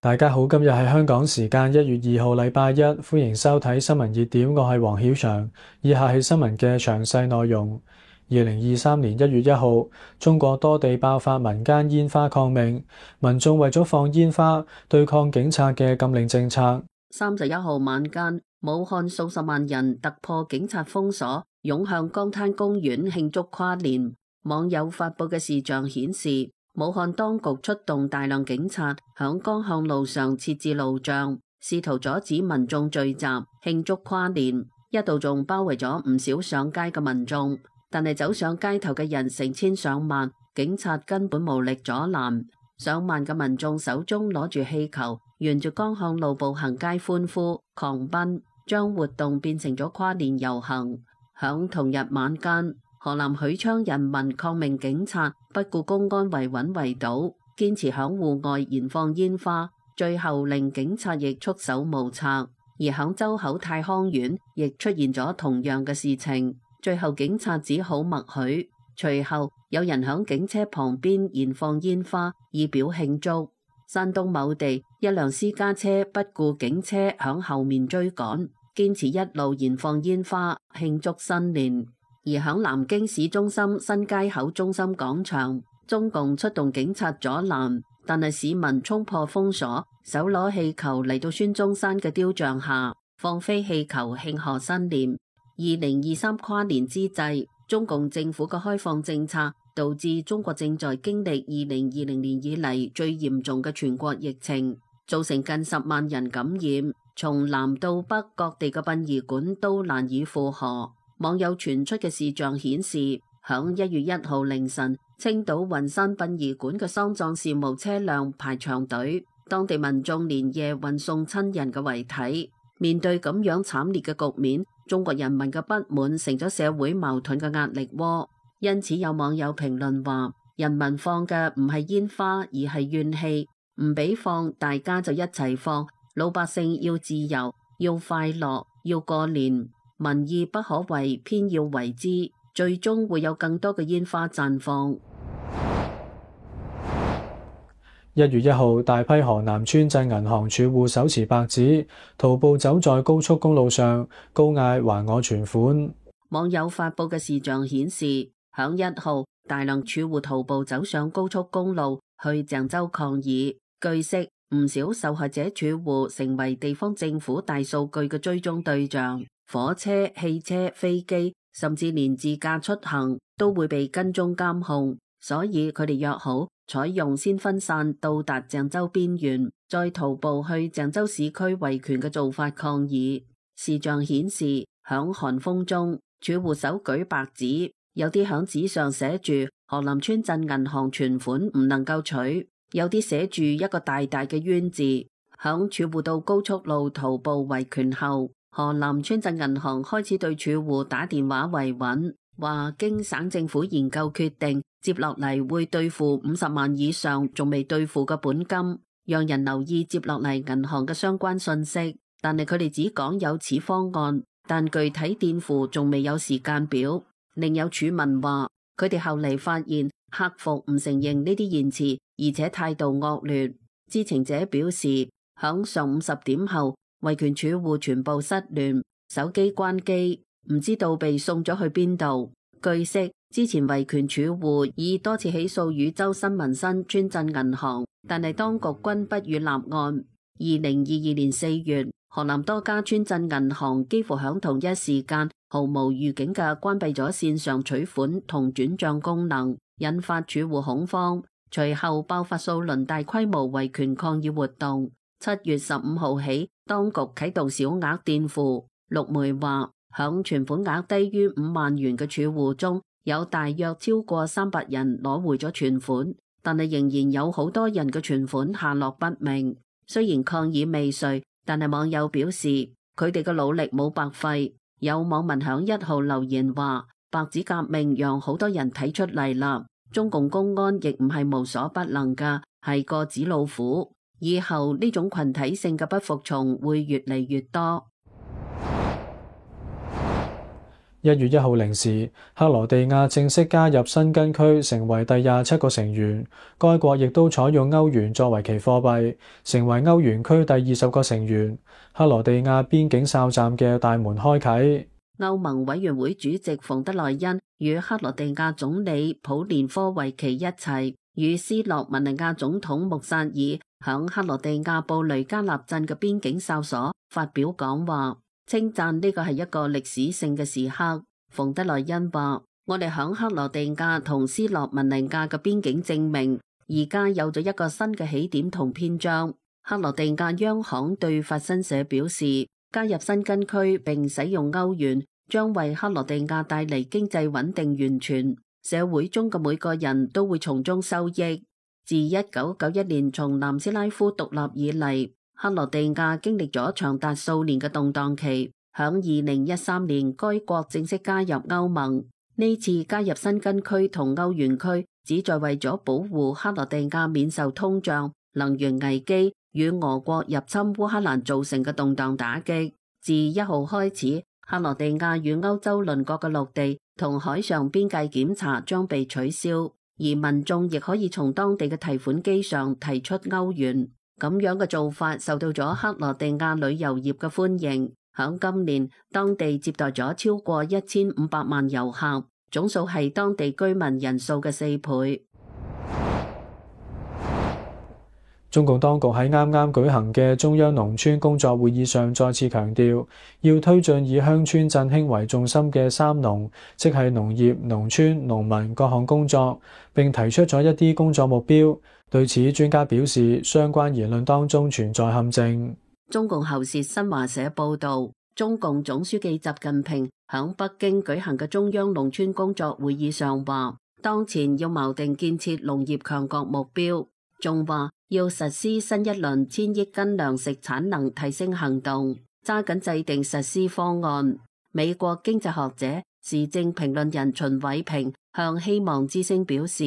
大家好，今日係香港時間1月2號禮拜一，歡迎收睇新聞熱點，我係黃曉翔。以下係新聞嘅詳細內容。2023年1月1號，中國多地爆發民間煙花抗命，民眾為咗放煙花對抗警察嘅禁令政策。31號晚間，武漢數十萬人突破警察封鎖，湧向江灘公園慶祝跨年。網友發布嘅視像顯示，武漢當局出動大量警察響江漢路上設置路障，試圖阻止民眾聚集慶祝跨年，一度仲包圍咗唔少上街嘅民眾。但係走上街頭嘅人成千上萬，警察根本無力阻攔。上萬嘅民眾手中攞住氣球，沿住江漢路步行街歡呼狂奔，將活動變成咗跨年遊行。響同日晚間，河南許昌人民抗命警察不顧公安圍穩圍堵，堅持響戶外燃放煙花，最後令警察亦束手無策。而響周口太康縣亦出現咗同樣嘅事情，最後警察只好默許。隨後有人響警車旁邊燃放煙花以表慶祝。山東某地一輛私家車不顧警車響後面追趕，堅持一路燃放煙花慶祝新年。而響南京市中心新街口中心廣場，中共出動警察阻攔，但係市民衝破封鎖，手攞氣球嚟到孫中山嘅雕像下放飛氣球慶賀新年。2023跨年之際，中共政府嘅開放政策導致中國正在經歷2020年以嚟最嚴重嘅全國疫情，造成近10萬人感染，從南到北各地嘅殯儀館都難以負荷。網友傳出嘅視像顯示，響1月1號凌晨，青島雲山殯儀館嘅喪葬事務車輛排長隊，當地民眾連夜運送親人嘅遺體。面對咁樣慘烈嘅局面，中國人民嘅不滿成咗社會矛盾嘅壓力窩。因此有網友評論話，人民放嘅唔係煙花，而係怨氣，唔俾放，大家就一齊放。老百姓要自由，要快樂，要過年。民意不可為，偏要為之，最終會有更多嘅煙花綻放。1月1號，大批河南村鎮銀行儲戶手持白紙，徒步走在高速公路上，高嗌還我存款。網友發布嘅視像顯示，響1號，大量儲戶徒步走上高速公路去鄭州抗議。據悉，唔少受害者儲戶成為地方政府大數據嘅追蹤對象。火車、汽車、飛機，甚至連自駕出行都會被跟蹤監控，所以佢哋約好採用先分散到達鄭州邊緣，再徒步去鄭州市區維權嘅做法抗議。視像顯示，響寒風中，儲戶手舉白紙，有啲響紙上寫住河南村鎮銀行存款唔能夠取，有啲寫住一個大大嘅冤字。響儲戶到高速路徒步維權後，河南村鎮銀行開始對儲戶打電話維穩，話經省政府研究決定，接落嚟會兌付50萬以上仲未兌付嘅本金，讓人留意接落嚟銀行嘅相關信息。但係佢哋只講有此方案，但具體墊付仲未有時間表。另有儲民話，佢哋後嚟發現客服唔承認呢啲言辭，而且態度惡劣。知情者表示，響上午10點後，維權儲戶全部失聯，手機關機，唔知道被送咗去邊度。據悉，之前維權儲戶已多次起訴禹州新民新村鎮銀行，但係當局均不予立案。2022年4月，河南多家村鎮銀行幾乎響同一時間毫無預警嘅關閉咗線上取款同轉賬功能，引發儲戶恐慌。隨後爆發數輪大規模維權抗議活動。7月15號起，當局啟動小額墊付。陸媒話，響存款額低於5萬元嘅儲戶中，有大約超過300人攞回咗存款，但係仍然有好多人嘅存款下落不明。雖然抗議未遂，但係網友表示佢哋嘅努力冇白費。有網民響1號留言話，白紙革命讓好多人睇出嚟啦，中共公安亦唔係無所不能噶，係個紙老虎。以後呢種群體性嘅不服從會越嚟越多。1月1號零時，克羅地亞正式加入申根區，成為第27個成員。該國亦都採用歐元作為其貨幣，成為歐元區第20個成員。克羅地亞邊境哨站嘅大門開啟。歐盟委員會主席馮德萊恩與克羅地亞總理普連科維奇一齊，與斯洛文尼亞總統穆薩爾響克羅地亞布雷加納鎮嘅邊境哨所發表講話，稱讚呢個係一個歷史性嘅時刻。馮德萊恩話：我哋響克羅地亞同斯洛文尼亞嘅邊境證明，而家有咗一個新嘅起點同篇章。克羅地亞央行對法新社表示，加入申根區並使用歐元，將為克羅地亞帶嚟經濟穩定完全，社會中嘅每個人都會從中收益。自1991年從南斯拉夫獨立以嚟，克羅地亞經歷咗長達數年嘅動盪期。響2013年，該國正式加入歐盟。呢次加入申根區同歐元區，旨在為咗保護克羅地亞免受通脹、能源危機與俄國入侵烏克蘭造成嘅動盪打擊。自1號開始，克羅地亞與歐洲鄰國嘅陸地同海上邊界檢查將被取消，而民眾亦可以從當地嘅提款機上提出歐元。咁樣嘅做法受到咗克羅地亞旅遊業嘅歡迎。響今年，當地接待咗超過1500萬遊客，總數係當地居民人數嘅4倍。中共當局喺啱啱舉行嘅中央農村工作會議上再次強調，要推進以鄉村振興為重心嘅3農，即係農業、農村、農民各項工作，並提出咗一啲工作目標。對此，專家表示，相關言論當中存在陷阱。中共喉舌新華社報道，中共總書記習近平響北京舉行嘅中央農村工作會議上話，當前要錨定建設農業強國目標，仲話要實施新一輪1000億斤糧食產能提升行動，揸緊制定實施方案。美國經濟學者、時政評論人秦偉平向希望之聲表示，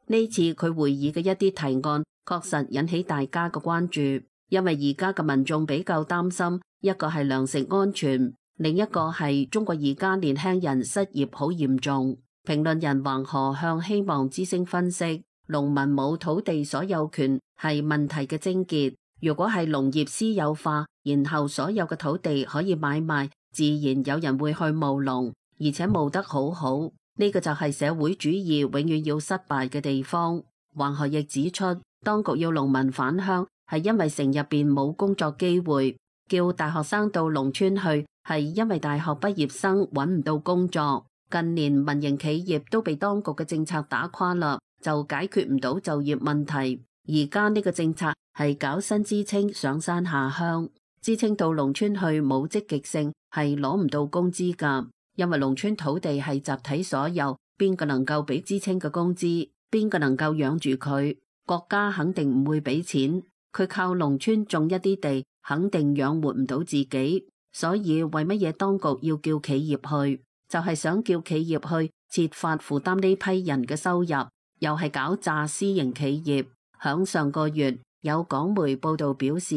呢次佢會議嘅一啲提案確實引起大家嘅關注。因為而家嘅民眾比較擔心，一個係糧食安全，另一個係中國而家年輕人失業好嚴重。評論人黃河向希望之聲分析，農民冇土地所有權係問題嘅症結。如果係農業私有化，然後所有嘅土地可以買賣，自然有人會去務農，而且務得好好。呢個就係社會主義永遠要失敗嘅地方。黃河亦指出，當局要農民返鄉，係因為城入邊冇工作機會，叫大學生到農村去，係因為大學畢業生揾唔到工作。近年民營企業都被當局嘅政策打垮啦，就解決唔到就業問題。而家呢個政策係搞新知青上山下鄉，知青到農村去冇積極性，係攞唔到工資噶。因為農村土地係集體所有，邊個能夠俾知青嘅工資，邊個能夠養住佢？國家肯定唔會俾錢。佢靠農村種一啲地，肯定養活唔到自己，所以為乜嘢當局要叫企業去？就係想叫企業去設法負擔呢批人嘅收入，又係搞詐私營企業。響上個月，有港媒報道表示，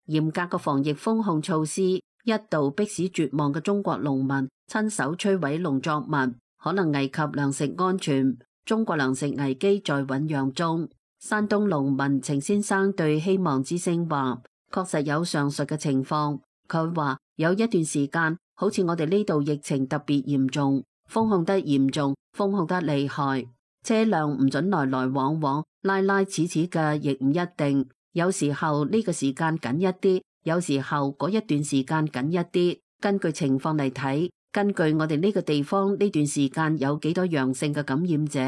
嚴格嘅防疫封控措施一度迫使絕望嘅中國農民親手摧毀農作物，可能危及糧食安全。中國糧食危機在醞釀中。山東農民程先生對希望之聲話，確實有上述嘅情況。佢話有一段時間，好似我哋呢度疫情特別嚴重，封控得嚴重，封控得厲害，車輛唔准來來往往，拉拉扯扯嘅亦唔一定。有時候呢個時間緊一啲，有時候嗰一段時間緊一啲，根據情況嚟睇，根據我哋呢個地方呢段時間有幾多陽性嘅感染者。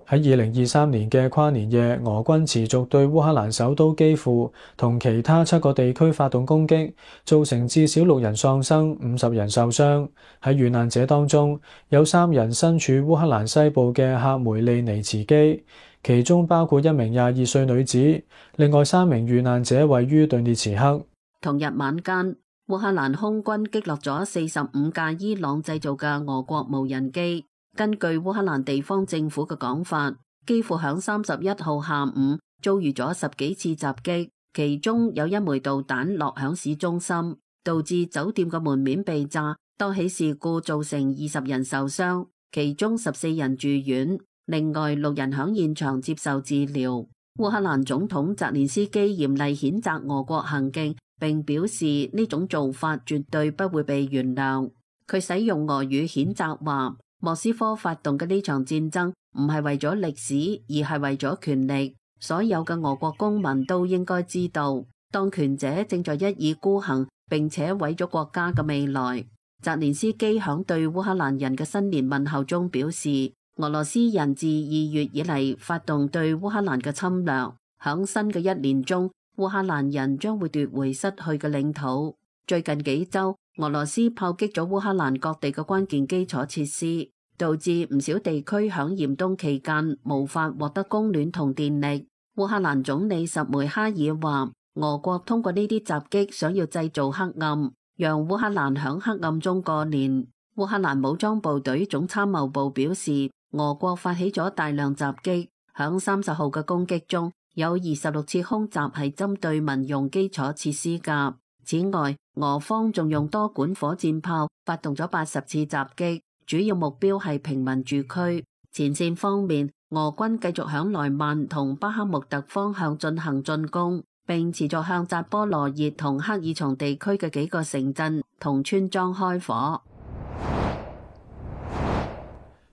喺2023年嘅跨年夜，俄軍持續對烏克蘭首都基輔同其他7個地區發動攻擊，造成至少6人喪生、50人受傷。喺遇難者當中，有3人身處烏克蘭西部嘅克梅利尼茨基，其中包括一名22歲女子。另外3名遇難者位於頓涅茨克。同日晚間，烏克蘭空軍擊落咗45架伊朗製造嘅俄國無人機。根據烏克蘭地方政府嘅講法，基輔響31號下午遭遇咗10幾次襲擊，其中有1枚導彈落響市中心。導致酒店嘅門面被炸，多起事故造成20人受傷，其中14人住院，另外6人響現場接受治療。烏克蘭總統澤連斯基嚴厲譴責俄國行徑，並表示呢種做法絕對不會被原諒。佢使用俄語譴責話，莫斯科發動嘅呢場戰爭唔係為咗歷史，而係為咗權力。所有嘅俄國公民都應該知道，當權者正在一意孤行，並且毀咗國家嘅未來。澤連斯基響對烏克蘭人嘅新年問候中表示，俄羅斯人自2月以嚟發動對烏克蘭嘅侵略，響新嘅一年中，烏克蘭人將會奪回失去嘅領土。最近幾週，俄羅斯炮擊咗烏克蘭各地嘅關鍵基礎設施，導致唔少地區響嚴冬期間無法獲得供暖同電力。烏克蘭總理什梅哈爾話，俄國通過呢啲襲擊想要製造黑暗，讓烏克蘭響黑暗中過年。烏克蘭武裝部隊總參謀部表示，俄國發起咗大量襲擊，響30號嘅攻擊中有26次空襲係針對民用基礎設施㗎。此外，俄方仲用多管火箭炮發動咗80次襲擊，主要目標係平民住區。前線方面，俄軍繼續響萊曼同巴克穆特方向進行進攻，並持續向扎波羅熱同克爾松地區嘅幾個城鎮同村莊開火。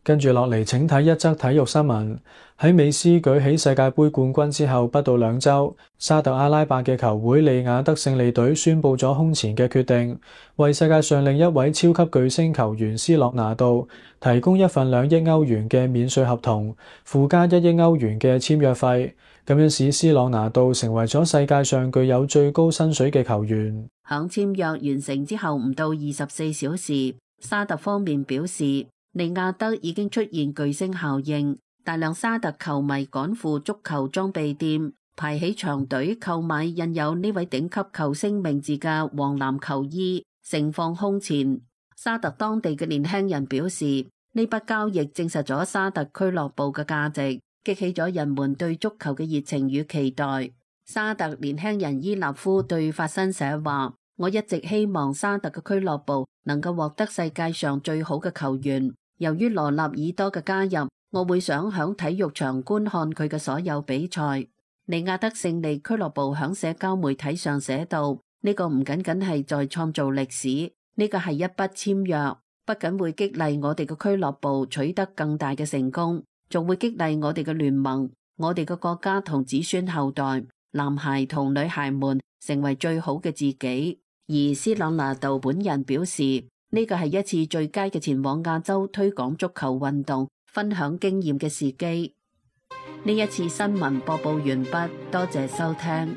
跟住落嚟，請睇一則體育新聞。喺美斯舉起世界盃冠軍之後不到2週，沙特阿拉伯嘅球會利雅得勝利隊宣布咗空前嘅決定，為世界上另一位超級巨星球員斯洛拿度提供一份2億歐元嘅免稅合同，附加1億歐元嘅簽約費，咁樣使斯洛拿度成為咗世界上具有最高薪水嘅球員。響簽約完成之後唔到24小時，沙特方面表示，利雅得已經出現巨星效應，大量沙特球迷趕赴足球裝備店，排起長隊購買印有呢位頂級球星名字嘅黃藍球衣，盛況空前。沙特當地嘅年輕人表示，呢筆交易證實咗沙特俱樂部嘅價值，激起咗人們對足球嘅熱情與期待。沙特年輕人伊納夫對法新社話，我一直希望沙特嘅俱樂部能夠獲得世界上最好嘅球員。由於羅納爾多嘅加入，我會想響體育場觀看佢嘅所有比賽。利雅得勝利俱樂部響社交媒體上寫道，呢個唔僅僅係在創造歷史，呢個係一筆簽約，不僅會激勵我哋嘅俱樂部取得更大嘅成功，仲會激勵我哋嘅聯盟、我哋嘅國家同子孫後代，男孩同女孩們成為最好嘅自己。而斯朗拿度本人表示，呢個係一次最佳嘅前往亞洲推廣足球運動、分享經驗嘅時機。呢一次新聞播報完畢，多謝收聽。